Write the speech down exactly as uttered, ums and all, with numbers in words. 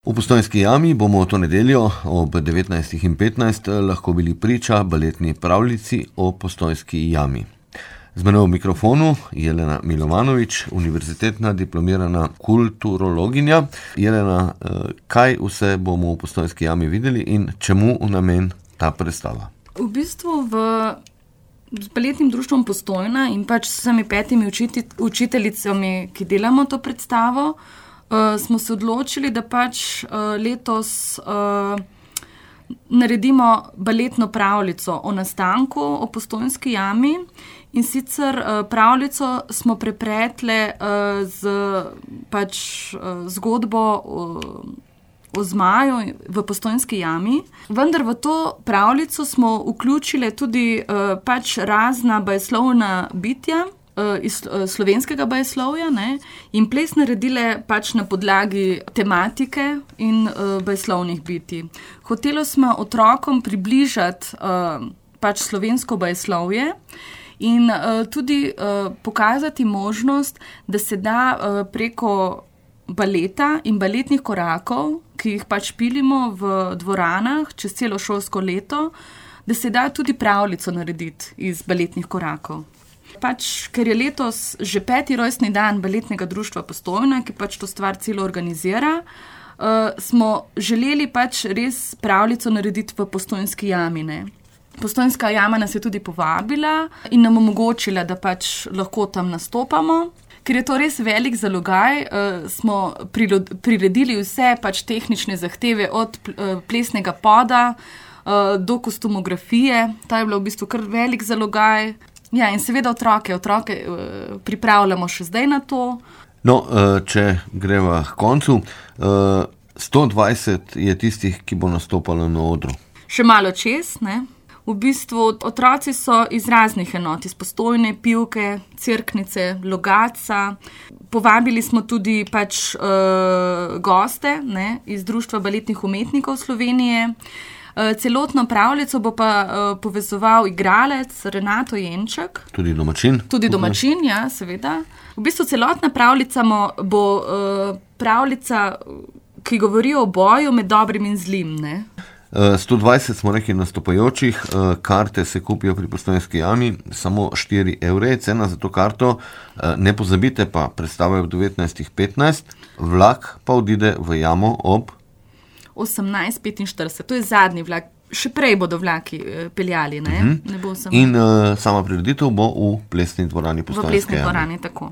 V Postojnski jami bomo to nedeljo ob devetnajstih in petnajst lahko bili priča baletni pravljici o Postojnski jami. Z menoj v mikrofonu Jelena Milovanovič, univerzitetna diplomirana kulturologinja. Jelena, kaj vse bomo v Postojnski jami videli in čemu namen ta predstava? V bistvu v z baletnim društvom Postojna in pač s vsemi petimi učiti, učiteljicami, ki delamo to predstavo, uh, smo se odločili, da pač uh, letos uh, naredimo baletno pravljico o nastanku, o Postojnski jami. In sicer uh, pravljico smo prepletle uh, z pač uh, zgodbo uh, o zmaju v Postojnski jami. Vendar v to pravljico smo vključili tudi uh, pač razna bajeslovna bitja uh, iz uh, slovenskega bajeslovja, ne, in ples naredile pač na podlagi tematike in uh, bajeslovnih bitij. Hotelo smo otrokom približati uh, pač slovensko bajeslovje in uh, tudi uh, pokazati možnost, da se da uh, preko baleta in baletnih korakov, ki jih pač pilimo v dvoranah čez celo šolsko leto, da se da tudi pravljico narediti iz baletnih korakov. Pač, ker je letos že peti rojstni dan baletnega društva Postojna, ki pač to stvar celo organizira, uh, smo želeli pač res pravljico narediti v Postojnski jami, ne. Postojnska jama nas je tudi povabila in nam omogočila, da pač lahko tam nastopamo. Ker je to res velik zalogaj, uh, smo priredili vse pač tehnične zahteve od uh, plesnega poda uh, do kostumografije. Ta je bila v bistvu kar velik zalogaj. Ja, in seveda otroke, otroke uh, pripravljamo še zdaj na to. No, uh, če greva k koncu, uh, sto dvajset je tistih, ki bo nastopalo na odru. Še malo čez, ne? V bistvu otroci so iz raznih enot, iz Postojne, Pivke, Cerknice, Logatca. Povabili smo tudi pač uh, goste, ne, iz Društva baletnih umetnikov Slovenije. Uh, celotno pravljico bo pa uh, povezoval igralec Renato Jenček. Tudi domačin. Tudi domačin, ja, seveda. V bistvu celotna pravljica bo uh, pravljica, ki govori o boju med dobrim in zlim, ne. sto dvajset smo rekli nastopajočih, karte se kupijo pri Postojnski jami, samo štiri evre je cena za to karto. Ne pozabite pa, predstava je ob devetnajstih petnajst, vlak pa odide v jamo ob osemnajst petinštirideset, to je zadnji vlak, še prej bodo vlaki peljali, ne? Uh-huh. Ne bo samo... In uh, sama prireditev bo v plesni dvorani Postojnske jame. V plesni dvorani, tako.